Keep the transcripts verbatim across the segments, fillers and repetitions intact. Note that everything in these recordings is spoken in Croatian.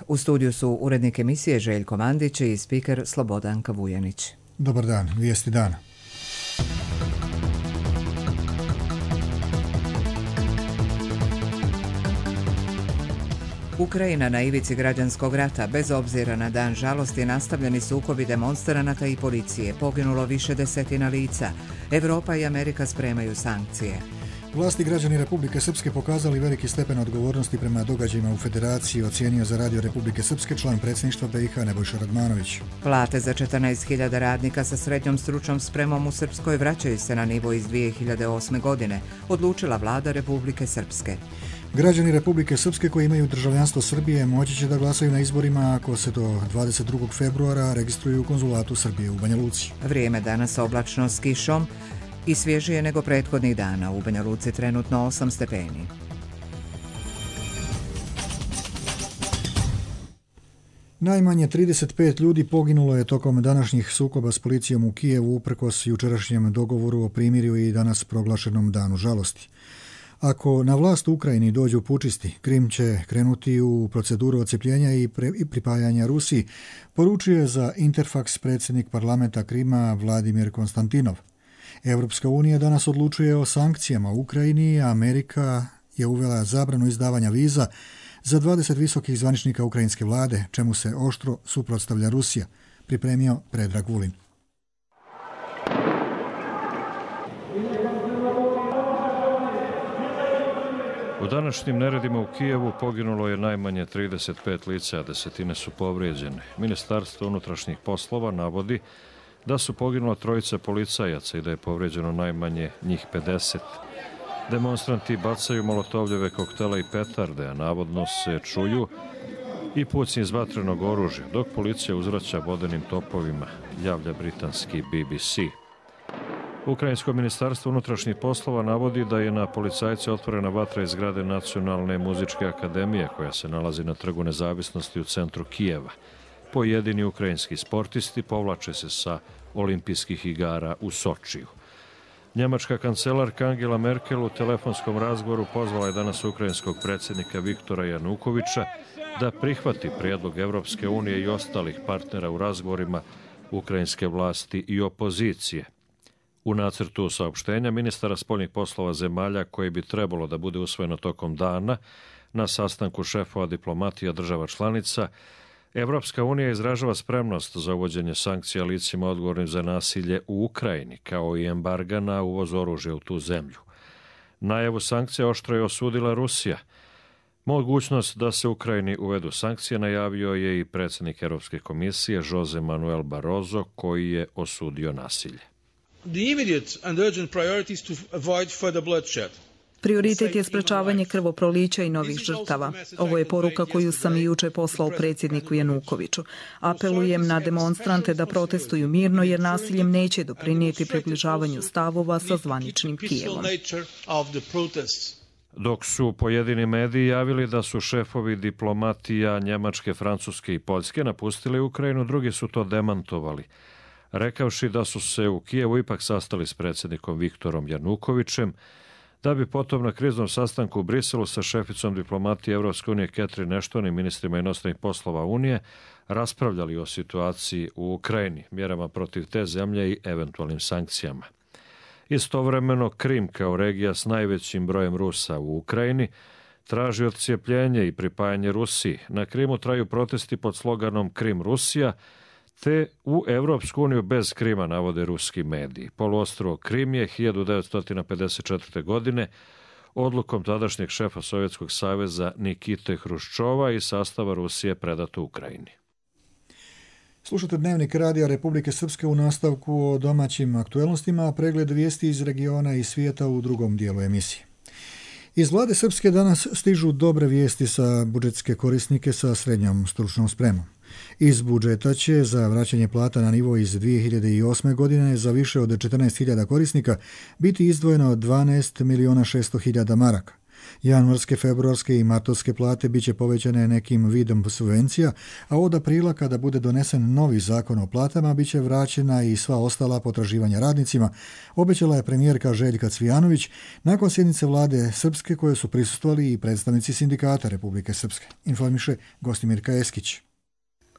U studiju su urednik emisije Željko Mandić i spiker Slobodanka Vujanić. Dobar dan, vijesti dana. Ukrajina na ivici građanskog rata, bez obzira na dan žalosti, nastavljeni sukobi demonstranata i policije, poginulo više desetina lica. Evropa i Amerika spremaju sankcije. Vlasti građani Republike Srpske pokazali veliki stepen odgovornosti prema događajima u Federaciji, ocijenio za Radio Republike Srpske član predsjedništva B i H Nebojša Radmanović. Plate za četrnaest hiljada radnika sa srednjom stručnom spremom u Srpskoj vraćaju se na nivo iz dvije hiljade osme. godine, odlučila vlada Republike Srpske. Građani Republike Srpske koji imaju državljanstvo Srbije moći će da glasaju na izborima ako se do dvadeset drugog februara registruju u konzulatu Srbije u Banja Luci. Vrijeme danas oblačno s kišom i svježije nego prethodnih dana. U Banja Luci trenutno osam stepeni. Najmanje trideset pet ljudi poginulo je tokom današnjih sukoba s policijom u Kijevu uprkos jučerašnjem dogovoru o primirju i danas proglašenom danu žalosti. Ako na vlast u Ukrajini dođu pučisti, Krim će krenuti u proceduru odcepljenja i, pre, i pripajanja Rusiji, poručuje za Interfax predsjednik parlamenta Krima Vladimir Konstantinov. Evropska unija danas odlučuje o sankcijama u Ukrajini, a Amerika je uvela zabranu izdavanja viza za dvadeset visokih zvaničnika ukrajinske vlade, čemu se oštro suprotstavlja Rusija, pripremio Predrag Vulin. U današnjim neredima u Kijevu poginulo je najmanje trideset pet lica, a desetine su povrijeđene. Ministarstvo unutrašnjih poslova navodi da su poginula trojica policajaca i da je povrijeđeno najmanje njih pedeset. Demonstranti bacaju molotovljeve koktele i petarde, a navodno se čuju i pucnji iz vatrenog oružja, dok policija uzvraća vodenim topovima, javlja britanski B B C. Ukrajinsko ministarstvo unutrašnjih poslova navodi da je na policajce otvorena vatra iz zgrade Nacionalne muzičke akademije koja se nalazi na Trgu Nezavisnosti u centru Kijeva. Pojedini ukrajinski sportisti povlače se sa olimpijskih igara u Sočiju. Njemačka kancelarka Angela Merkel u telefonskom razgovoru pozvala je danas ukrajinskog predsjednika Viktora Janukovića da prihvati prijedlog Evropske unije i ostalih partnera u razgovorima ukrajinske vlasti i opozicije. U nacrtu saopštenja ministara spoljnih poslova zemalja koji bi trebalo da bude usvojeno tokom dana na sastanku šefova diplomatija država članica, Evropska unija izražava spremnost za uvođenje sankcija licima odgovornim za nasilje u Ukrajini, kao i embarga na uvoz oružja u tu zemlju. Najavu sankcija oštro je osudila Rusija. Mogućnost da se Ukrajini uvedu sankcije najavio je i predsjednik Europske komisije Jose Manuel Barroso, koji je osudio nasilje. The immediate and urgent priority is to avoid further bloodshed. Prioritet je sprečavanje krvoprolića i novih žrtava. Ovo je poruka koju sam i juče poslao predsjedniku Janukoviću. Apelujem na demonstrante da protestuju mirno jer nasiljem neće doprinijeti približavanju stavova sa zvaničnim Kijevom. Dok su pojedini mediji javili da su šefovi diplomatija Njemačke, Francuske i Poljske napustili Ukrajinu, drugi su to demantovali, rekavši da su se u Kijevu ipak sastali s predsjednikom Viktorom Janukovićem, da bi potom na kriznom sastanku u Briselu sa šeficom diplomatije Evropske unije Catherine Ashton i ministrima inostranih poslova Unije raspravljali o situaciji u Ukrajini, mjerama protiv te zemlje i eventualnim sankcijama. Istovremeno, Krim kao regija s najvećim brojem Rusa u Ukrajini traži odcijepljenje i pripajanje Rusiji. Na Krimu traju protesti pod sloganom Krim Rusija, te u Evropsku uniju bez Krima, navode ruski mediji. Poluostrvo Krim je hiljadu devetsto pedeset četvrte. godine odlukom tadašnjeg šefa Sovjetskog saveza Nikite Hruščova i sastava Rusije predato Ukrajini. Slušate Dnevnik Radija Republike Srpske u nastavku o domaćim aktuelnostima, a pregled vijesti iz regiona i svijeta u drugom dijelu emisije. Iz vlade Srpske danas stižu dobre vijesti sa budžetske korisnike sa srednjom stručnom spremom. Iz budžeta će za vraćanje plata na nivo iz dvije hiljade osme. godine za više od četrnaest hiljada korisnika biti izdvojeno dvanaest miliona šesto hiljada maraka. Januarske, februarske i martovske plate biće povećane nekim vidom subvencija, a od aprila kada bude donesen novi zakon o platama biće vraćena i sva ostala potraživanja radnicima, obećala je premijerka Željka Cvijanović nakon sjednice vlade Srpske koje su prisustvovali i predstavnici sindikata Republike Srpske. Informiše Gostimirka Eskić.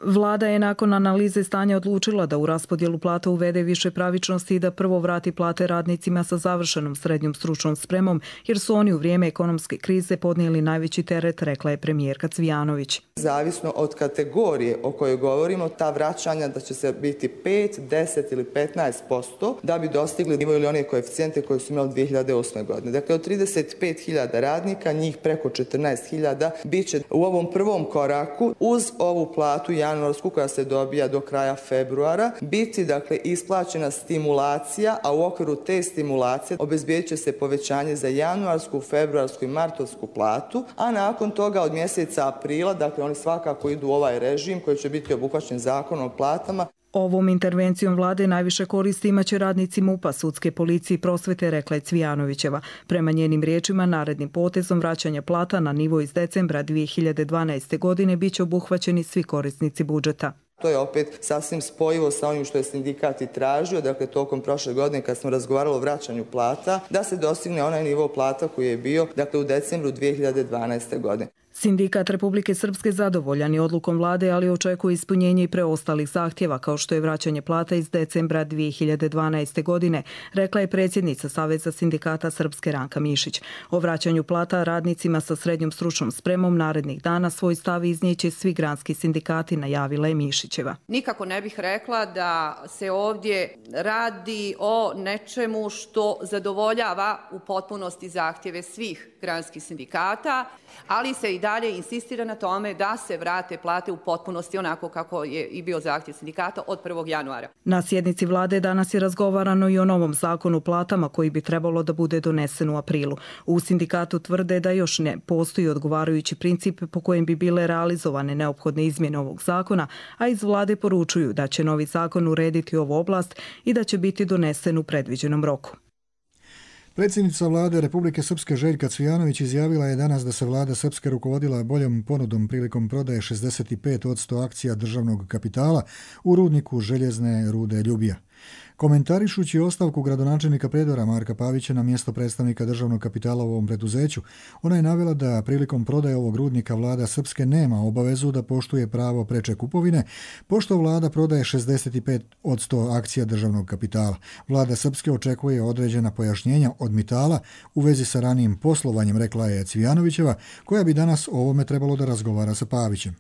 Vlada je nakon analize stanja odlučila da u raspodjelu plata uvede više pravičnosti i da prvo vrati plate radnicima sa završenom srednjom stručnom spremom, jer su oni u vrijeme ekonomske krize podnijeli najveći teret, rekla je premijerka Cvijanović. Zavisno od kategorije o kojoj govorimo, ta vraćanja da će se biti pet, deset ili petnaest posto da bi dostigli nivo ili one koeficijente koje su imali dvije hiljade osme. godine. Dakle, od trideset pet hiljada radnika, njih preko četrnaest hiljada, bit će u ovom prvom koraku uz ovu platu januarsku koja se dobija do kraja februara, biti dakle isplaćena stimulacija, a u okviru te stimulacije obezbijedit će se povećanje za januarsku, februarsku i martovsku platu, a nakon toga od mjeseca aprila, dakle oni svakako idu u ovaj režim koji će biti obuhvaćen zakonom o platama. Ovom intervencijom vlade najviše koristi imaće radnici MUP-a, sudske policije i prosvete, rekla je Cvijanovićeva. Prema njenim riječima, narednim potezom vraćanja plata na nivo iz decembra dvije hiljade dvanaeste. godine biće obuhvaćeni svi korisnici budžeta. To je opet sasvim spojivo sa onim što je sindikat i tražio, dakle tokom prošle godine kad smo razgovarali o vraćanju plata, da se dostigne onaj nivo plata koji je bio dakle u decembru dvije hiljade dvanaeste. godine. Sindikat Republike Srpske zadovoljan je odlukom vlade, ali očekuje ispunjenje i preostalih zahtjeva, kao što je vraćanje plata iz decembra dvije hiljade dvanaeste. godine, rekla je predsjednica Saveza sindikata Srpske Ranka Mišić. O vraćanju plata radnicima sa srednjom stručnom spremom narednih dana svoj stav iznijeće svi granski sindikati, najavila je Mišićeva. Nikako ne bih rekla da se ovdje radi o nečemu što zadovoljava u potpunosti zahtjeve svih granskih sindikata, ali se i dalje insistira na tome da se vrate plate u potpunosti onako kako je i bio zahtjev sindikata od prvog januara. Na sjednici vlade danas je razgovarano i o novom zakonu o platama koji bi trebalo da bude donesen u aprilu. U sindikatu tvrde da još ne postoji odgovarajući princip po kojem bi bile realizovane neophodne izmjene ovog zakona, a iz vlade poručuju da će novi zakon urediti ovu oblast i da će biti donesen u predviđenom roku. Predsjednica vlade Republike Srpske Željka Cvijanović izjavila je danas da se vlada Srpske rukovodila boljom ponudom prilikom prodaje šezdeset pet posto akcija državnog kapitala u rudniku željezne rude Ljubija. Komentarišući ostavku gradonačelnika Prijedora Marka Pavića na mjesto predstavnika državnog kapitala u ovom preduzeću, ona je navela da prilikom prodaje ovog rudnika vlada Srpske nema obavezu da poštuje pravo preče kupovine, pošto vlada prodaje šezdeset pet posto akcija državnog kapitala. Vlada Srpske očekuje određena pojašnjenja od Mitala u vezi sa ranijim poslovanjem, rekla je Cvijanovićeva, koja bi danas o ovome trebalo da razgovara sa Pavićem.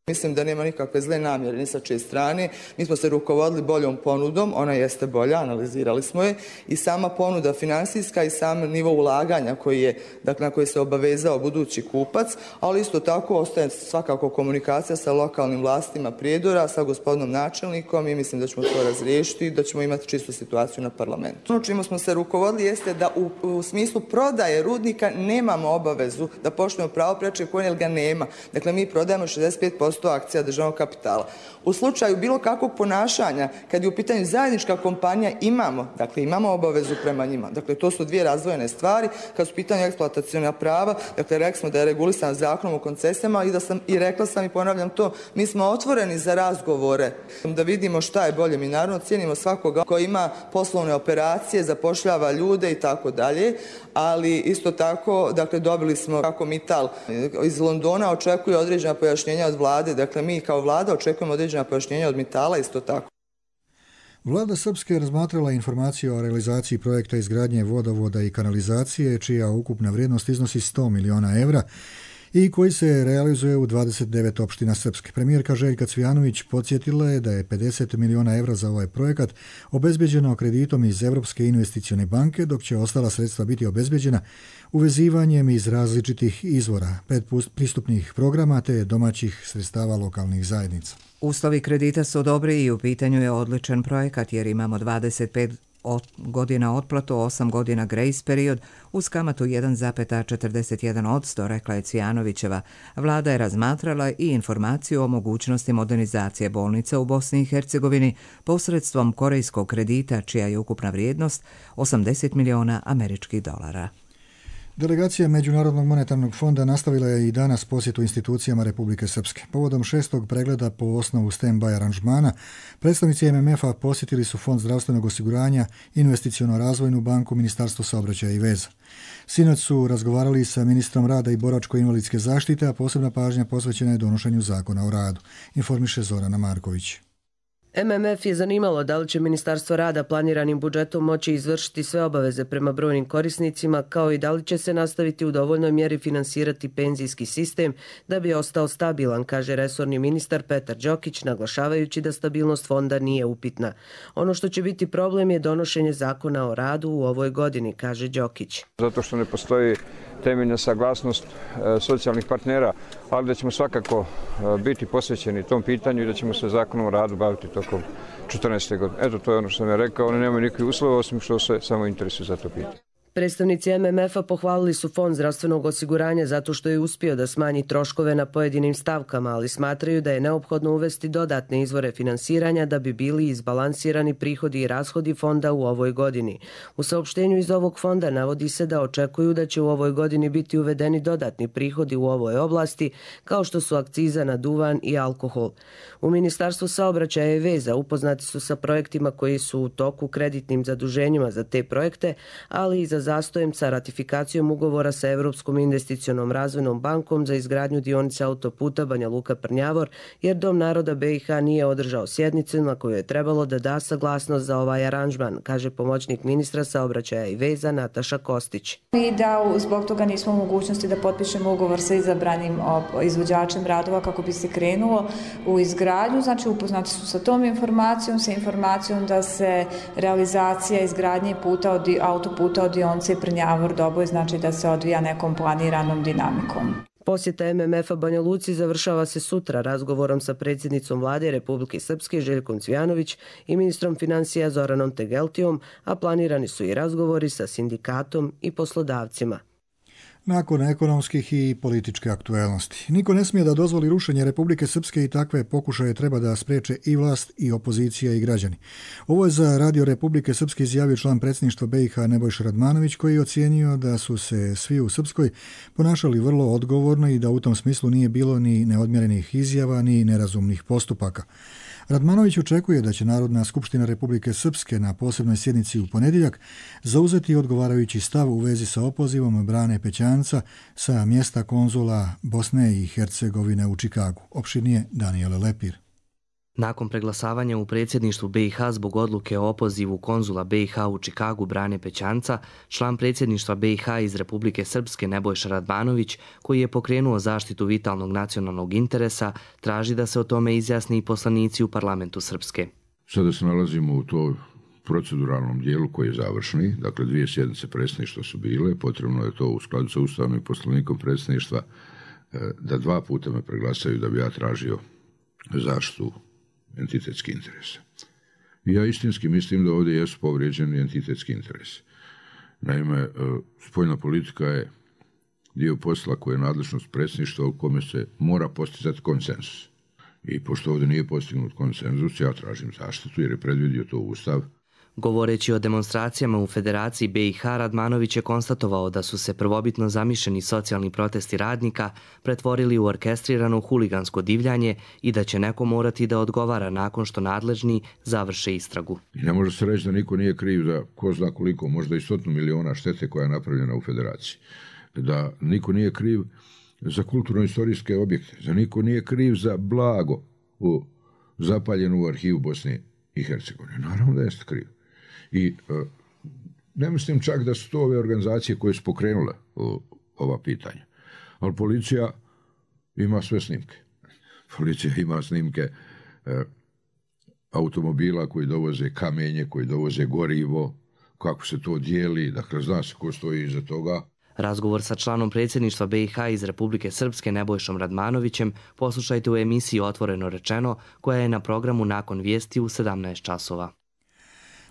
Mislim da nema nikakve zle namjere ni sa čije strane. Mi smo se rukovodili boljom ponudom, ona jeste bolja, analizirali smo je, i sama ponuda finansijska i sam nivo ulaganja koji je, dakle, na koji se obavezao budući kupac, ali isto tako ostaje svakako komunikacija sa lokalnim vlastima Prijedora, sa gospodinom načelnikom i mislim da ćemo to razriješiti i da ćemo imati čistu situaciju na parlamentu. Ono čime smo se rukovodili jeste da u, u smislu prodaje rudnika nemamo obavezu da poštujemo pravo preče koje jer ga nema. Dakle, mi prodajemo šezdeset pet posto akcija državnog kapitala. U slučaju bilo kakvog ponašanja, kad je u pitanju zajednička kompanija, imamo, dakle imamo obavezu prema njima. Dakle, to su dvije razdvojene stvari. Kad su u pitanju eksploataciona prava, dakle, rekli smo da je regulisan zakonom o koncesijama i da sam i rekla sam i ponavljam to, mi smo otvoreni za razgovore, da vidimo šta je bolje. Mi naravno cijenimo svakoga koji ima poslovne operacije, zapošljava ljude i tako dalje, ali isto tako, dakle, dobili smo kako Mittal iz Londona očekuje određena pojašnjenja od vlade. Dakle, mi kao vlada očekujemo određena pojašnjenja od Mitala isto tako. Vlada Srpske je razmatrala informaciju o realizaciji projekta izgradnje vodovoda i kanalizacije, čija ukupna vrijednost iznosi sto miliona evra i koji se realizuje u dvadeset devet opština Srpske. Premijerka Željka Cvijanović podsjetila je da je pedeset miliona evra za ovaj projekat obezbeđeno kreditom iz Evropske investicione banke, dok će ostala sredstva biti obezbeđena uvezivanjem iz različitih izvora, predpristupnih programa te domaćih sredstava lokalnih zajednica. Uslovi kredita su dobri i u pitanju je odličan projekat jer imamo dvadeset pet godina otplatu, osam godina grace period uz kamatu jedan zarez četrdeset jedan posto, rekla je Cvijanovićeva. Vlada je razmatrala i informaciju o mogućnosti modernizacije bolnica u Bosni i Hercegovini posredstvom korejskog kredita čija je ukupna vrijednost osamdeset miliona američkih dolara. Delegacija Međunarodnog monetarnog fonda nastavila je i danas posjetu institucijama Republike Srpske. Povodom šestog pregleda po osnovu stand-by aranžmana, predstavnici M M F-a posjetili su Fond zdravstvenog osiguranja, Investiciono-razvojnu banku, Ministarstvo saobraćaja i veza. Sinoć su razgovarali sa ministrom rada i boračko-invalidske zaštite, a posebna pažnja posvećena je donošenju zakona o radu, informiše Zorana Marković. M M F je zanimalo da li će Ministarstvo rada planiranim budžetom moći izvršiti sve obaveze prema brojnim korisnicima, kao i da li će se nastaviti u dovoljnoj mjeri finansirati penzijski sistem da bi ostao stabilan, kaže resorni ministar Petar Đokić, naglašavajući da stabilnost fonda nije upitna. Ono što će biti problem je donošenje zakona o radu u ovoj godini, kaže Đokić. Zato što ne postoji temeljna saglasnost e, socijalnih partnera, ali da ćemo svakako e, biti posvećeni tom pitanju i da ćemo se zakonom o radu baviti tokom četrnaeste godine. Eto, to je ono što sam ja rekao, oni nemaju nikakvih uslova, osim što se samo interesuju za to pitanje. Predstavnici M M F-a pohvalili su Fond zdravstvenog osiguranja zato što je uspio da smanji troškove na pojedinim stavkama, ali smatraju da je neophodno uvesti dodatne izvore finansiranja da bi bili izbalansirani prihodi i rashodi fonda u ovoj godini. U saopštenju iz ovog fonda navodi se da očekuju da će u ovoj godini biti uvedeni dodatni prihodi u ovoj oblasti, kao što su akciza na duvan i alkohol. U Ministarstvu saobraćaja i veza upoznati su sa projektima koji su u toku, kreditnim zaduženjima za te projekte, ali i za zastojem sa ratifikacijom ugovora sa Evropskom investicionom razvojnom bankom za izgradnju dionice autoputa Banja Luka-Prnjavor, jer Dom naroda B i H nije održao sjednicu na koju je trebalo da da saglasnost za ovaj aranžman, kaže pomoćnik ministra saobraćaja i veza Nataša Kostić. I da zbog toga nismo u mogućnosti da potpišemo ugovor sa izabranim izvođačem radova kako bi se krenulo u izgradnju. Znači upoznati su sa tom informacijom, sa informacijom da se realizacija izgradnje puta od autoputa od dionice Prnjavor Doboj, znači da se odvija nekom planiranom dinamikom. Posjeta M M F-a Banja Luci završava se sutra razgovorom sa predsjednicom vlade Republike Srpske Željkom Cvijanović i ministrom financija Zoranom Tegeltijom, a planirani su i razgovori sa sindikatom i poslodavcima. Nakon ekonomskih i političke aktuelnosti. Niko ne smije da dozvoli rušenje Republike Srpske i takve pokušaje treba da spreče i vlast i opozicija i građani. Ovo je za Radio Republike Srpske izjavio član predsjedništva B i H Nebojša Radmanović, koji je ocijenio da su se svi u Srpskoj ponašali vrlo odgovorno i da u tom smislu nije bilo ni neodmjerenih izjava ni nerazumnih postupaka. Radmanović očekuje da će Narodna skupština Republike Srpske na posebnoj sjednici u ponedjeljak zauzeti odgovarajući stav u vezi sa opozivom Brane Pećanca sa mjesta konzula Bosne i Hercegovine u Čikagu. Opširnije Danijele Lepir. Nakon preglasavanja u predsjedništvu B i H zbog odluke o opozivu konzula B i H u Čikagu Brane Pećanca, član predsjedništva B i H iz Republike Srpske Nebojša Radmanović, koji je pokrenuo zaštitu vitalnog nacionalnog interesa, traži da se o tome izjasni i poslanici u parlamentu Srpske. Sada se nalazimo u toj proceduralnom dijelu koji je završni, dakle dvije sjednice predsjedništva su bile, potrebno je to u skladu sa Ustavnom i poslovnikom predsjedništva da dva puta me preglasaju da bi ja tražio zaštitu entitetski interes. I ja istinski mislim da ovdje jesu povrijeđeni entitetski interes. Naime, spoljna politika je dio posla koje je nadležnost predsjedništva u kome se mora postizati konsenzus. I pošto ovdje nije postignut konsenzus, ja tražim zaštitu jer je predvidio to Ustav. Govoreći o demonstracijama u Federaciji B i H, Radmanović je konstatovao da su se prvobitno zamišljeni socijalni protesti radnika pretvorili u orkestrirano huligansko divljanje i da će neko morati da odgovara nakon što nadležni završe istragu. I ne može se reći da niko nije kriv za ko zna koliko, možda i stotinu miliona štete koja je napravljena u Federaciji. Da niko nije kriv za kulturno-istorijske objekte, da niko nije kriv za blago u zapaljenu u arhivu Bosne i Hercegovine. Naravno da jeste kriv. I e, ne mislim čak da su to ove organizacije koje su pokrenule o, ova pitanja. Ali policija ima sve snimke. Policija ima snimke e, automobila koji dovoze kamenje, koji dovoze gorivo, kako se to dijeli, dakle zna se ko stoji iza toga. Razgovor sa članom predsjedništva B i H iz Republike Srpske Nebojšom Radmanovićem poslušajte u emisiji Otvoreno rečeno, koja je na programu nakon vijesti u sedamnaest časova.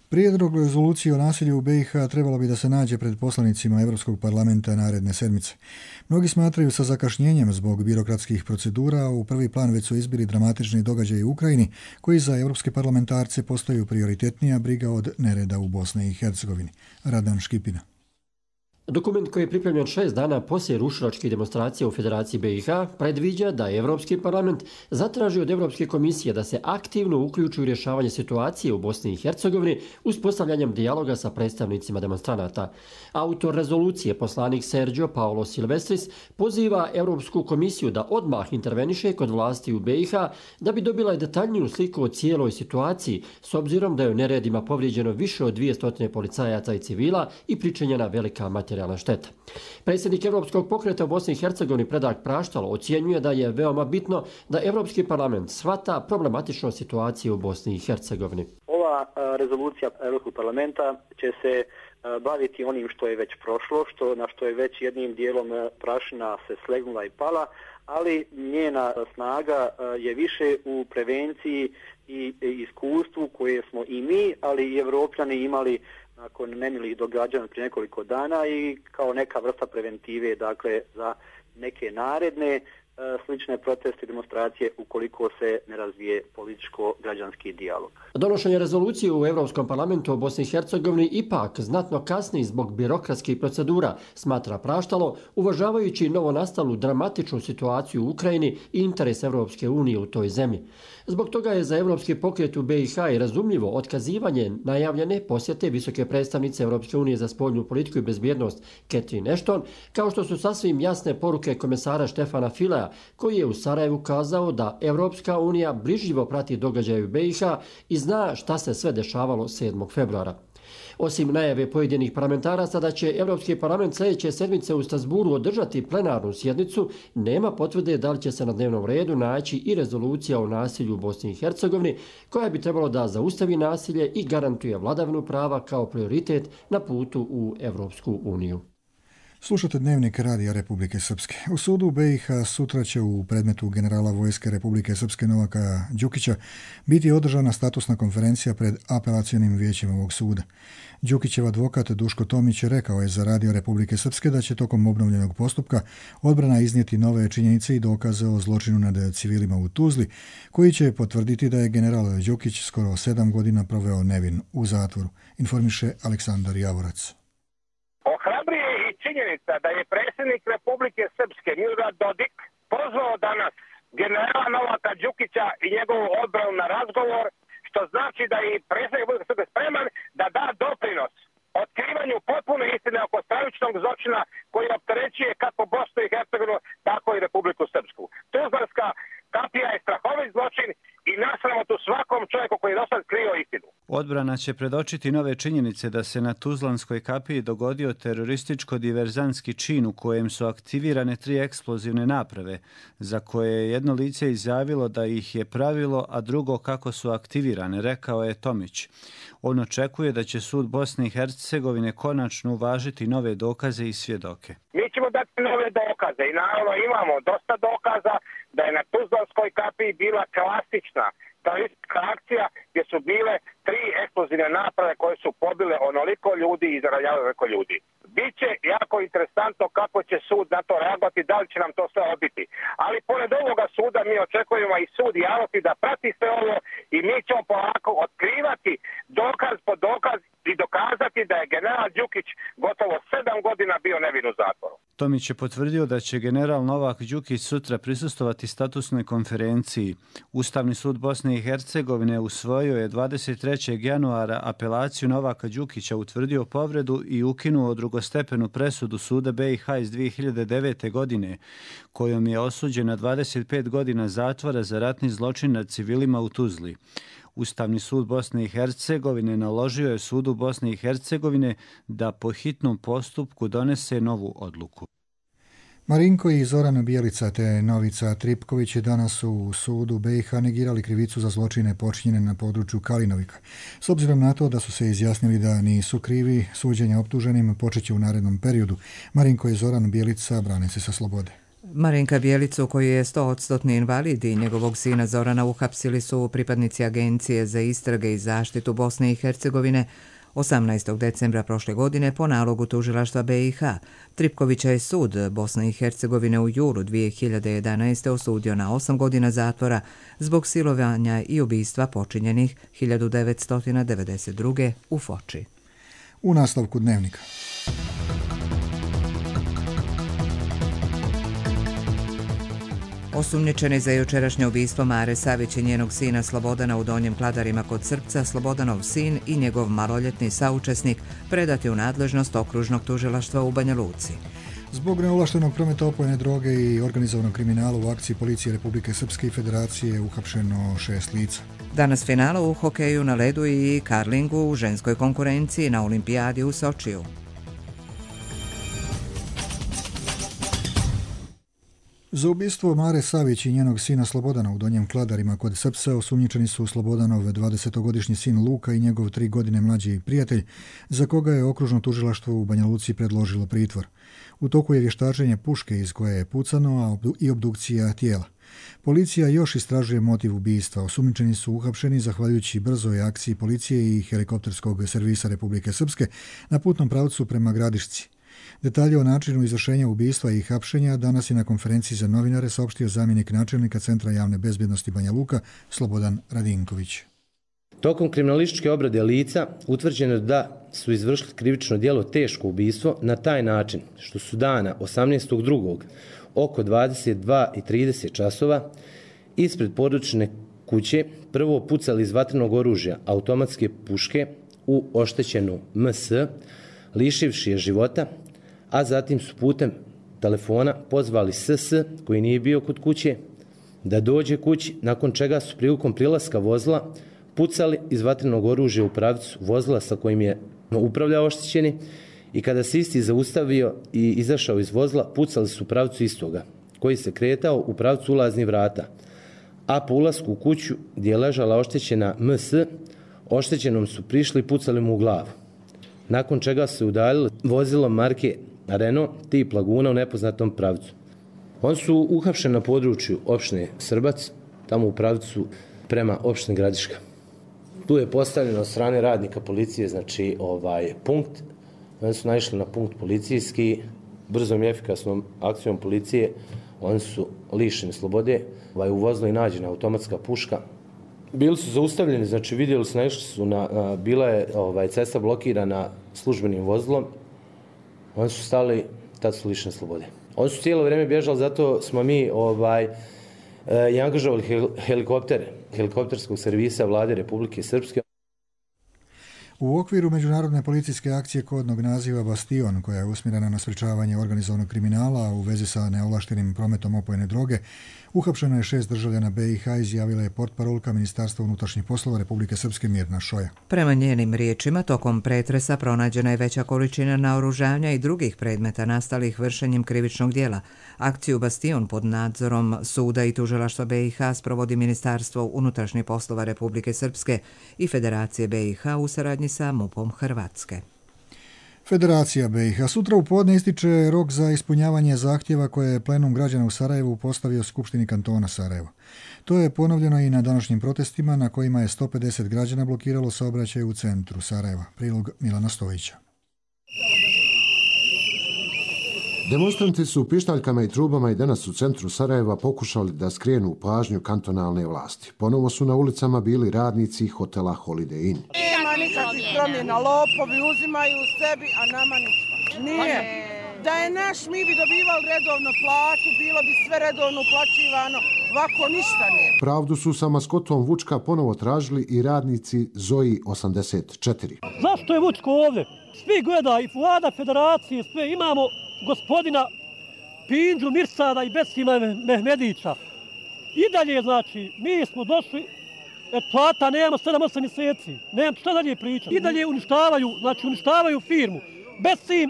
Prijedlog rezolucije o nasilju u B i H trebalo bi da se nađe pred poslanicima Evropskog parlamenta naredne sedmice. Mnogi smatraju sa zakašnjenjem zbog birokratskih procedura, a u prvi plan već su izbili dramatični događaji u Ukrajini, koji za evropske parlamentarce postaju prioritetnija briga od nereda u Bosni i Hercegovini. Radan Škipina. Dokument koji je pripremljen šest dana poslije rušilačkih demonstracija u Federaciji B i H predviđa da je Evropski parlament zatraži od Evropske komisije da se aktivno uključi u rješavanje situacije u Bosni i Hercegovini uspostavljanjem dijaloga sa predstavnicima demonstranata. Autor rezolucije, poslanik Sergio Paolo Silvestris, poziva Evropsku komisiju da odmah interveniše kod vlasti u B i H da bi dobila detaljniju sliku o cijeloj situaciji, s obzirom da je u neredima povrijeđeno više od dvjesto policajaca i civila i pričinjena velika materijalna šteta. Predsjednik Evropskog pokreta u Bosni i Hercegovini Predrag Praštalo ocjenjuje da je veoma bitno da Evropski parlament shvata problematičnu situaciju u Bosni i Hercegovini. Ova rezolucija Evropskog parlamenta će se baviti onim što je već prošlo, što, na što je već jednim dijelom prašina se slegnula i pala, ali njena snaga je više u prevenciji i iskustvu koje smo i mi, ali i Evropljani imali nakon nemilih događanja prije nekoliko dana i kao neka vrsta preventive, dakle, za neke naredne slične proteste i demonstracije ukoliko se ne razvije političko-građanski dijalog. Donošenje rezolucije u Europskom parlamentu o Bosni i Hercegovini ipak znatno kasni zbog birokratskih procedura, smatra Praštalo, uvažavajući novonastalu dramatičnu situaciju u Ukrajini i interes Europske unije u toj zemlji. Zbog toga je za Evropski pokret u B i H i razumljivo otkazivanje najavljene posjete visoke predstavnice Europske unije za spoljnu politiku i bezbjednost Catherine Ashton, kao što su sasvim jasne poruke komesara Štefana Filea, koji je u Sarajevu kazao da Evropska unija brižljivo prati događaje u B i H i zna šta se sve dešavalo sedmog februara. Osim najave pojedinih parlamentaraca da će Evropski parlament sljedeće sedmice u Strasburu održati plenarnu sjednicu, nema potvrde da li će se na dnevnom redu naći i rezolucija o nasilju u Bosni i Hercegovini, koja bi trebalo da zaustavi nasilje i garantuje vladavinu prava kao prioritet na putu u Evropsku uniju. Slušate Dnevnik Radija Republike Srpske. U sudu u B i H sutra će u predmetu generala vojske Republike Srpske Novaka Đukića biti održana statusna konferencija pred apelacionim vijećem ovog suda. Đukićev advokat Duško Tomić rekao je za Radio Republike Srpske da će tokom obnovljenog postupka odbrana iznijeti nove činjenice i dokaze o zločinu nad civilima u Tuzli, koji će potvrditi da je general Đukić skoro sedam godina proveo nevin u zatvoru, informiše Aleksandar Javorac. Činjenica da je predsjednik Republike Srpske Milorad Dodik pozvao danas generala Novaka Đukića i njegovu odbranu na razgovor, što znači da je predsjednik Republike Srpske spreman da da doprinos otkrivanju potpune istine oko stravičnog zločina koji opterećuje kako Bosnu i Hercegovinu, tako i Republiku Srpsku. Tuzlanska kapija je strahovit zločin i nasramotu svakom čovjeku koji je do sad krio istinu. Odbrana će predočiti nove činjenice da se na Tuzlanskoj kapiji dogodio terorističko-diverzantski čin u kojem su aktivirane tri eksplozivne naprave, za koje je jedno lice izjavilo da ih je pravilo, a drugo kako su aktivirane, rekao je Tomić. On očekuje da će sud Bosne i Hercegovine konačno uvažiti nove dokaze i svjedoke. Mi ćemo dati nove dokaze i naravno imamo dosta dokaza da je na Tuzlanskoj kapiji bila klasična teroristička akcija gdje su bile tri eksplozivne naprave koje su pobile onoliko ljudi i zaranjavale onoliko ljudi. Biće jako interesantno kako će sud na to reagovati, da li će nam to sve odbiti. Ali pored ovoga suda mi očekujemo i sud javnosti da prati sve ovo i mi ćemo polako otkrivati dokaz po dokaz i dokazati da je general Đukić gotovo sedam godina bio nevin u zatvoru. Tomić je potvrdio da će general Novak Đukić sutra prisustovati statusnoj konferenciji. Ustavni sud Bosne i Hercegovine usvojio je dvadeset trećeg januara apelaciju Novaka Đukića, utvrdio povredu i ukinuo drugostepenu presudu suda B i H iz dvije hiljade devete. godine, kojom je osuđen na dvadeset pet godina zatvora za ratni zločin nad civilima u Tuzli. Ustavni sud Bosne i Hercegovine naložio je sudu Bosne i Hercegovine da po hitnom postupku donese novu odluku. Marinko i Zoran Bijelica te Novica Tripković danas u sudu B i H negirali krivicu za zločine počinjene na području Kalinovika. S obzirom na to da su se izjasnili da nisu krivi, suđenja optuženim počeće u narednom periodu. Marinko i Zoran Bijelica brane se sa slobode. Marinka Bijelicu, koji je sto posto invalid, i njegovog sina Zorana uhapsili su pripadnici Agencije za istrage i zaštitu Bosne i Hercegovine osamnaestog decembra prošle godine po nalogu tužilaštva B i H. Tripkovića je sud Bosne i Hercegovine u julu dvije hiljade jedanaeste. osudio na osam godina zatvora zbog silovanja i ubistva počinjenih hiljadu devetsto devedeset druge. u Foči. U nastavku Dnevnika. Osumnjičeni za jučerašnje ubistvo Mare Savić i njenog sina Slobodana u Donjem Kladarima kod Srpca, Slobodanov sin i njegov maloljetni saučesnik predati u nadležnost okružnog tužilaštva u Banja Luci. Zbog neovlaštenog prometa opojne droge i organizovanog kriminala u akciji policije Republike Srpske i Federacije je uhapšeno šest lica. Danas finala u hokeju na ledu i karlingu u ženskoj konkurenciji na olimpijadi u Sočiju. Za ubistvo Mare Savić i njenog sina Slobodana u Donjem Kladarima kod Srpca osumnjičeni su Slobodanov dvadesetogodišnji sin Luka i njegov tri godine mlađi prijatelj, za koga je okružno tužilaštvo u Banja Luci predložilo pritvor. U toku je vještačenje puške iz koje je pucano, a i obdukcija tijela. Policija još istražuje motiv ubistva. Osumnjičeni su uhapšeni zahvaljujući brzoj akciji policije i helikopterskog servisa Republike Srpske na putnom pravcu prema Gradišci. Detalje o načinu izvršenja ubistva i hapšenja danas je na konferenciji za novinare saopštio zamjenik načelnika Centra javne bezbjednosti Banja Luka Slobodan Radinković. Tokom kriminalističke obrade lica utvrđeno da su izvršili krivično djelo teško ubistvo na taj način što su dana osamnaestog drugog oko dvadeset dva i trideset časova ispred porodične kuće prvo pucali iz vatrenog oružja automatske puške u oštećenu M S, lišivši je života, a zatim su putem telefona pozvali S S, koji nije bio kod kuće, da dođe kući, nakon čega su prilikom prilaska vozila pucali iz vatrenog oružja u pravcu vozila sa kojim je upravljao oštećeni i kada se isti zaustavio i izašao iz vozila, pucali su u pravcu istoga, koji se kretao u pravcu ulaznih vrata, a po ulasku u kuću gdje je ležala oštećena M S, oštećenom su prišli i pucali mu u glavu, nakon čega su udaljili vozilo marke Renault tip Laguna u nepoznatom pravcu. Oni su uhapšeni na području opštine Srbac, tamo u pravcu prema opštini Gradiška. Tu je postavljeno od strane radnika policije, znači ovaj punkt. Oni su naišli na punkt policijski, brzom i efikasnom akcijom policije, oni su lišeni slobode, ovaj, u vozilu je nađena automatska puška. Bili su zaustavljeni, znači vidjeli su, naišli su na, na bila je ovaj, cesta blokirana službenim vozilom, oni su stali, tad su lišeni slobode. Oni su cijelo vrijeme bježali, zato smo mi ovaj, i angažovali helikoptere, helikopterskog servisa Vlade Republike Srpske. U okviru međunarodne policijske akcije kodnog naziva Bastion, koja je usmjerena na sprečavanje organizovanog kriminala u vezi sa neovlaštenim prometom opojne droge, uhapšeno je šest državljana B i H, izjavila je portparolka Ministarstva unutrašnjih poslova Republike Srpske Mirna Šoja. Prema njenim riječima, tokom pretresa pronađena je veća količina naoružanja i drugih predmeta nastalih vršenjem krivičnog djela. Akciju Bastion pod nadzorom suda i tužilaštva B i H sprovodi Ministarstvo unutrašnjih poslova Republike Srpske i Federacije B i H u saradnji sa MUP-om Hrvatske. Federacija B i H sutra u podne ističe rok za ispunjavanje zahtjeva koje je plenum građana u Sarajevu postavio Skupštini kantona Sarajevo. To je ponovljeno i na današnjim protestima na kojima je sto pedeset građana blokiralo saobraćaj u centru Sarajeva. Prilog Milana Stojića. Demonstranti su pištaljkama i trubama i danas u centru Sarajeva pokušali da skrenu pažnju kantonalne vlasti. Ponovo su na ulicama bili radnici hotela Holiday Inn. Nema nikakvih promjena, lopovi uzimaju sebi, a nama ništa. Nije. Da je naš, mi bi dobivali redovno platu, bilo bi sve redovno uplaćivano, ovako ništa nije. Pravdu su sa maskotom Vučka ponovo tražili i radnici Zoji osamdeset četiri. Zašto je Vučko ovdje? Svi gleda i vlada federacije, sve imamo gospodina Pinđu Mirsada i Besima Mehmedića. I dalje, znači, mi smo došli, et plata nemamo sedam osam mjeseci, nemam šta dalje pričati. I dalje uništavaju, znači uništavaju firmu. Besim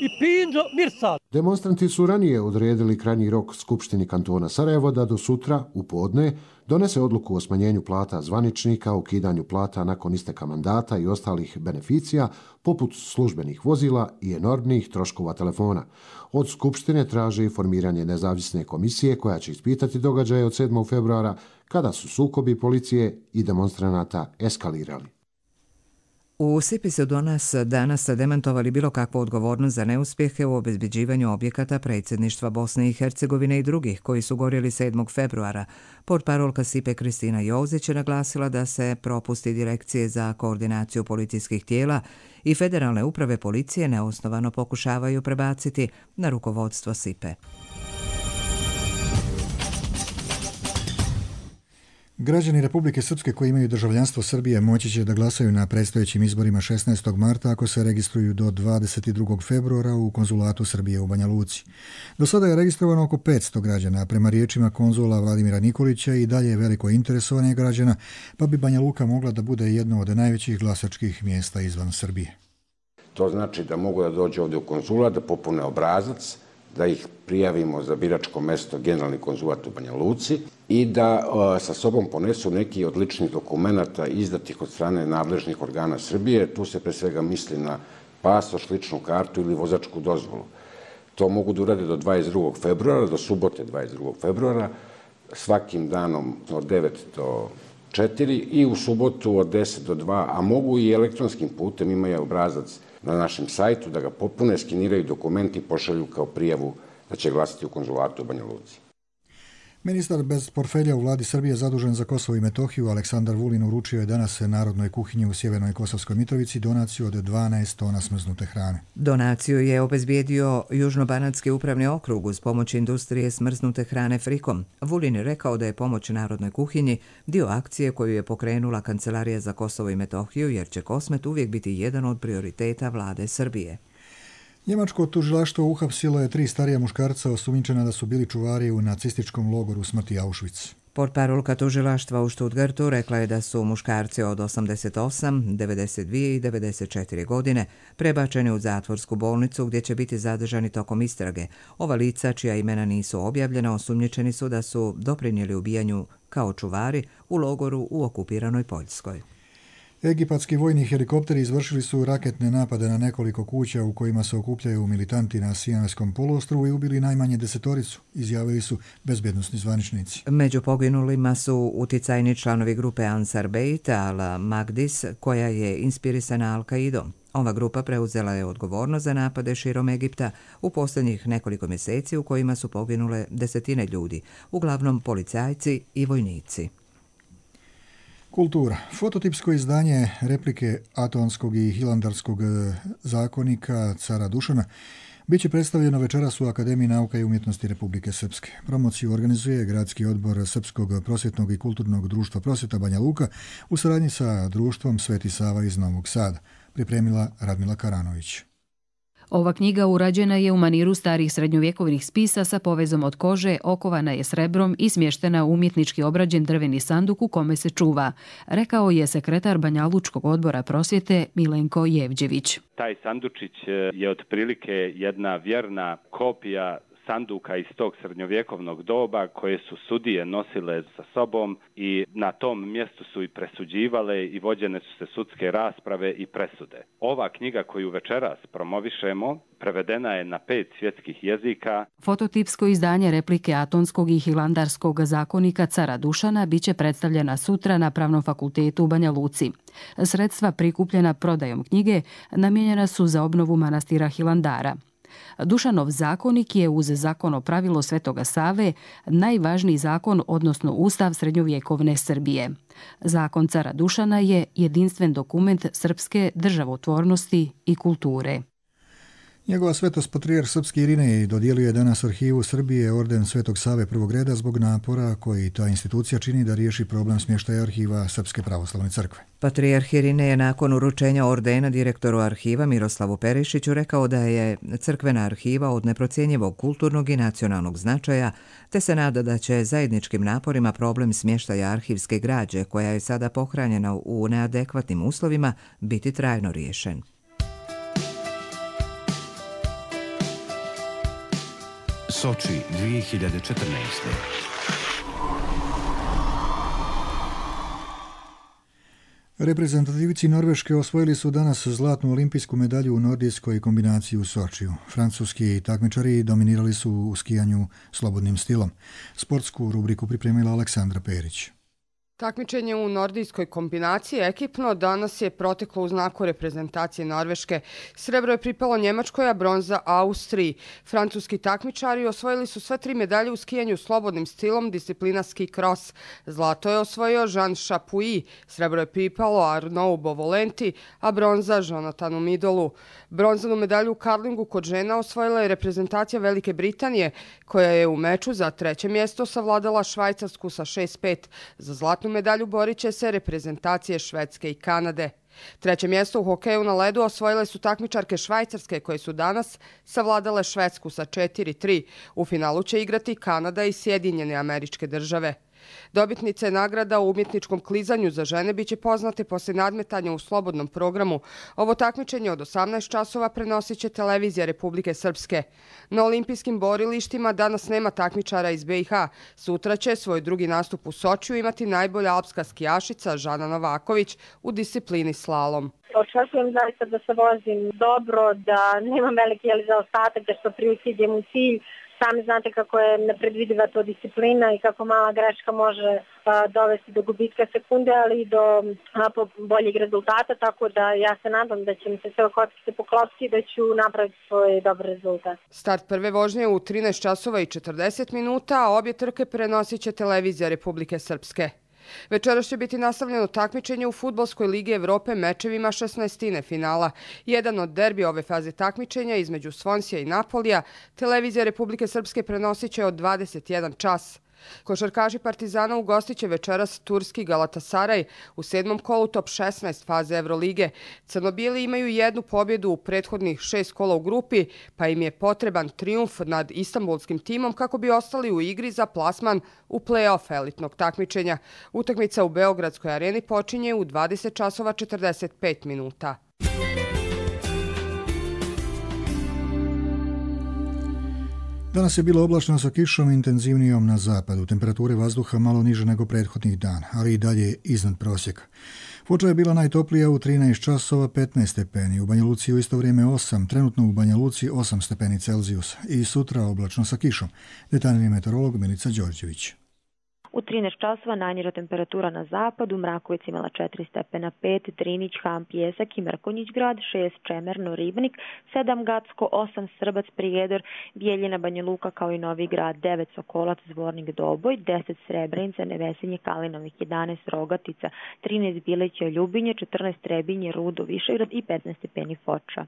i Pinđo Mirsad. Demonstranti su ranije odredili krajnji rok Skupštini kantona Sarajevo da do sutra, u podne, donese odluku o smanjenju plata zvaničnika, ukidanju plata nakon isteka mandata i ostalih beneficija, poput službenih vozila i enormnih troškova telefona. Od Skupštine traže formiranje nezavisne komisije koja će ispitati događaje od sedmog februara kada su sukobi policije i demonstranata eskalirali. U Sipi su do nas danas demantovali bilo kakvu odgovornost za neuspjehe u obezbeđivanju objekata predsjedništva Bosne i Hercegovine i drugih koji su gorjeli sedmog februara. Portparolka Sipe Kristina Jozić je naglasila da se propusti Direkcije za koordinaciju policijskih tijela i Federalne uprave policije neosnovano pokušavaju prebaciti na rukovodstvo Sipe. Građani Republike Srpske koji imaju državljanstvo Srbije moći će da glasaju na predstojećim izborima šesnaestog marta ako se registruju do dvadeset drugog februara u konzulatu Srbije u Banja Luci. Do sada je registrovano oko petsto građana, a prema riječima konzula Vladimira Nikolića i dalje je veliko interesovanje građana, pa bi Banja Luka mogla da bude jedno od najvećih glasačkih mjesta izvan Srbije. To znači da mogu da dođu ovdje u konzulat, da popune obrazac, da ih prijavimo za biračko mesto generalni konzulat u Banja Luci i da o, sa sobom ponesu neki od ličnih dokumenata izdatih od strane nadležnih organa Srbije. Tu se pre svega misli na pasoš, ličnu kartu ili vozačku dozvolu. To mogu da urade do dvadeset drugog februara, do subote dvadeset drugog februara, svakim danom od devet do četiri i u subotu od deset do dva, a mogu i elektronskim putem, imaju obrazac na našem sajtu, da ga popune, skeniraju dokumenti i pošalju kao prijavu da će glasati u konzulatu u Banja Luci. Ministar bez portfelja u vladi Srbije zadužen za Kosovo i Metohiju Aleksandar Vulin uručio je danas Narodnoj kuhinji u Sjevernoj Kosovskoj Mitrovici donaciju od dvanaest tona smrznute hrane. Donaciju je obezbijedio Južnobanatski upravni okrug uz pomoć industrije smrznute hrane Frikom. Vulin je rekao da je pomoć Narodnoj kuhinji dio akcije koju je pokrenula Kancelarija za Kosovo i Metohiju, jer će Kosmet uvijek biti jedan od prioriteta vlade Srbije. Njemačko tužilaštvo uhapsilo je tri starija muškarca osumnjičena da su bili čuvari u nacističkom logoru smrti Auschwitz. Portparolka tužilaštva u Stuttgartu rekla je da su muškarci od osamdeset osam, devedeset dvije i devedeset četiri godine prebačeni u zatvorsku bolnicu gdje će biti zadržani tokom istrage. Ova lica, čija imena nisu objavljena, osumnjičeni su da su doprinijeli ubijanju kao čuvari u logoru u okupiranoj Poljskoj. Egipatski vojni helikopteri izvršili su raketne napade na nekoliko kuća u kojima se okupljaju militanti na Sinajskom poluostrvu i ubili najmanje desetoricu, izjavili su bezbjednosni zvaničnici. Među poginulima su uticajni članovi grupe Ansar Beit al-Magdis, koja je inspirisana Al-Qaidom. Ova grupa preuzela je odgovornost za napade širom Egipta u posljednjih nekoliko mjeseci u kojima su poginule desetine ljudi, uglavnom policajci i vojnici. Kultura. Fototipsko izdanje replike Atonskog i Hilandarskog zakonika cara Dušana bit će predstavljeno večeras u Akademiji nauka i umjetnosti Republike Srpske. Promociju organizuje Gradski odbor Srpskog prosvjetnog i kulturnog društva Prosvjeta Banja Luka u saradnji sa društvom Sveti Sava iz Novog Sada. Pripremila Radmila Karanović. Ova knjiga urađena je u maniru starih srednjovjekovnih spisa sa povezom od kože, okovana je srebrom i smještena u umjetnički obrađen drveni sanduk u kome se čuva, rekao je sekretar Banjalučkog odbora prosvjete Milenko Jevđević. Taj sandučić je otprilike jedna vjerna kopija sanduka iz tog srednjovjekovnog doba koje su sudije nosile sa sobom i na tom mjestu su i presuđivale i vođene su se sudske rasprave i presude. Ova knjiga koju večeras promovišemo prevedena je na pet svjetskih jezika. Fototipsko izdanje replike Atonskog i Hilandarskog zakonika cara Dušana biće predstavljena sutra na Pravnom fakultetu u Banja Luci. Sredstva prikupljena prodajom knjige namijenjena su za obnovu manastira Hilandara. Dušanov zakonik je uz zakon o pravilo Svetoga Save najvažniji zakon, odnosno ustav srednjovjekovne Srbije. Zakon cara Dušana je jedinstven dokument srpske državotvornosti i kulture. Njegova svetost patrijarh srpski Irinej dodijelio je danas Arhivu Srbije orden Svetog Save prvog reda zbog napora koji ta institucija čini da riješi problem smještaja arhiva Srpske pravoslavne crkve. Patrijarh Irinej je nakon uručenja ordena direktoru arhiva Miroslavu Perišiću rekao da je crkvena arhiva od neprocjenjivog kulturnog i nacionalnog značaja, te se nada da će zajedničkim naporima problem smještaja arhivske građe, koja je sada pohranjena u neadekvatnim uslovima, biti trajno riješen. Soči dvije hiljade četrnaeste. Reprezentativci Norveške osvojili su danas zlatnu olimpijsku medalju u nordijskoj kombinaciji u Sočiju. Francuski takmičari dominirali su u skijanju slobodnim stilom. Sportsku rubriku pripremila Aleksandra Perić. Takmičenje u nordijskoj kombinaciji ekipno danas je proteklo u znaku reprezentacije Norveške. Srebro je pripalo Njemačkoj, a bronza Austriji. Francuski takmičari osvojili su sve tri medalje u skijanju slobodnim stilom, disciplina ski cross. Zlato je osvojio Jean Chapuis, srebro je pripalo Arnaud Bovolenti, a bronza Jonathanu Midolu. Bronzanu medalju u karlingu kod žena osvojila je reprezentacija Velike Britanije, koja je u meču za treće mjesto savladala Švajcarsku sa šest pet. Za zlatnu zlatnu medalju borit će se reprezentacije Švedske i Kanade. Treće mjesto u hokeju na ledu osvojile su takmičarke Švajcarske koje su danas savladale Švedsku sa četiri tri. U finalu će igrati Kanada i Sjedinjene Američke Države. Dobitnice nagrada u umjetničkom klizanju za žene biće poznate poslije nadmetanja u slobodnom programu. Ovo takmičenje od osamnaest časova prenosit će televizija Republike Srpske. Na olimpijskim borilištima danas nema takmičara iz B i H. Sutra će svoj drugi nastup u Sočiju imati najbolja alpska skijašica Žana Novaković u disciplini slalom. Očekujem zaista da se vozim dobro, da nemam veliki zaostatak, da što prilike idem u cilj. Sami znate kako je nepredvidiva to disciplina i kako mala greška može a, dovesti do gubitka sekunde, ali i do a, boljeg rezultata, tako da ja se nadam da će mi se sve kockice poklopiti i da ću napraviti svoj dobar rezultat. Start prve vožnje u trinaest časova i četrdeset minuta, a obje trke prenosit će televizija Republike Srpske. Večeras će biti nastavljeno takmičenje u Fudbalskoj ligi Evrope mečevima šesnaestine finala. Jedan od derbi ove faze takmičenja između Svonsija i Napolija televizija Republike Srpske prenosit će od dvadeset jedan čas. Košarkaši Partizana ugostit će večeras turski Galatasaraj u sedmom kolu top šesnaest faze Evrolige. Crnobijeli imaju jednu pobjedu u prethodnih šest kola u grupi, pa im je potreban trijumf nad istanbulskim timom kako bi ostali u igri za plasman u play-off elitnog takmičenja. Utakmica u Beogradskoj areni počinje u dvadeset časova četrdeset pet minuta. Danas je bilo oblačno sa kišom intenzivnijom na zapadu, temperature vazduha malo niže nego prethodnih dana, ali i dalje iznad prosjeka. Foča je bila najtoplija u trinaest časova petnaest stepeni, u Banja Luci u isto vrijeme osam, trenutno u Banja Luci osam stepeni Celzijusa i sutra oblačno sa kišom. Detaljni meteorolog Milica Đorđević. U trinaest časova najniža temperatura na zapadu, Mrakovic imala četiri stepena, pet, Drinić, Ham, Pjesak i Mrkonjić grad, šest, Čemerno, Ribnik, sedam, Gacko, osam, Srbac, Prijedor, Bijeljina, Banja Luka kao i Novi grad, devet, Sokolac, Zvornik, Doboj, deset, Srebrenica, Nevesinje, Kalinovih, jedanaest, Rogatica, trinaest, Bileća, Ljubinje, četrnaest, Trebinje, Rudo, Višegrad i petnaest stepeni Foča.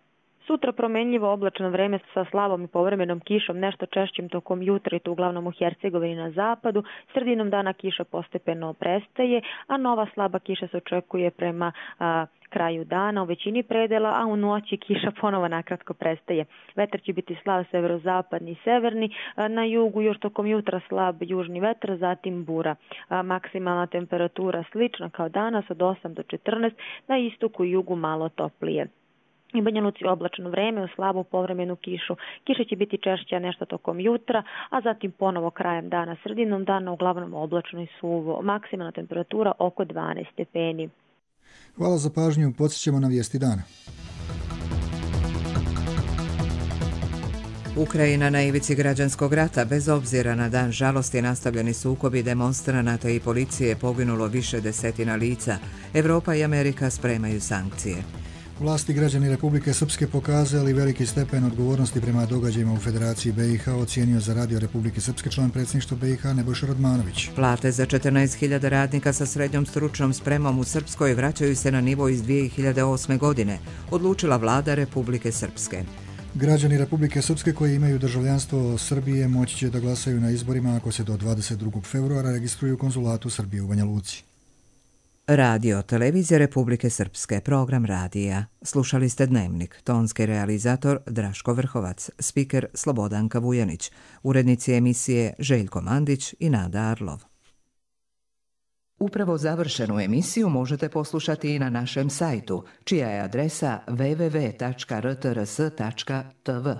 Sutra promenljivo oblačno vreme sa slabom i povremenom kišom, nešto češćim tokom jutra i to uglavnom u Hercegovini na zapadu. Sredinom dana kiša postepeno prestaje, a nova slaba kiša se očekuje prema a, kraju dana u većini predela, a u noći kiša ponovo nakratko prestaje. Vetar će biti slab severozapadni i severni, a, na jugu još tokom jutra slab južni vetar, zatim bura. A, maksimalna temperatura slična kao danas od osam do četrnaest, na istoku i jugu malo toplije. I Banja Luci oblačno vreme u slabu povremenu kišu. Kiša će biti češća nešto tokom jutra, a zatim ponovo krajem dana, sredinom dana uglavnom oblačno i suvo. Maksimalna temperatura oko dvanaest stepeni. Hvala za pažnju, podsjećamo na vijesti dana. Ukrajina na ivici građanskog rata, bez obzira na dan žalosti nastavljeni sukobi demonstranata i policije, poginulo više desetina lica. Evropa i Amerika spremaju sankcije. Vlasti građani Republike Srpske pokazali veliki stepen odgovornosti prema događajima u Federaciji B i H, ocijenio za Radio Republike Srpske član predsjedništva B i H Nebojša Radmanović. Plate za četrnaest hiljada radnika sa srednjom stručnom spremom u Srpskoj vraćaju se na nivo iz dvije hiljade osme. godine, odlučila vlada Republike Srpske. Građani Republike Srpske koji imaju državljanstvo Srbije moći će da glasaju na izborima ako se do dvadeset drugog februara registruju u konzulatu Srbije u Banja Luci. Radio, televizija Republike Srpske, program radija. Slušali ste Dnevnik, tonski realizator Draško Vrhovac, spiker Slobodanka Vujanić, urednici emisije Željko Mandić i Nada Arlov. Upravo završenu emisiju možete poslušati i na našem sajtu, čija je adresa w w w tačka r t r s tačka t v.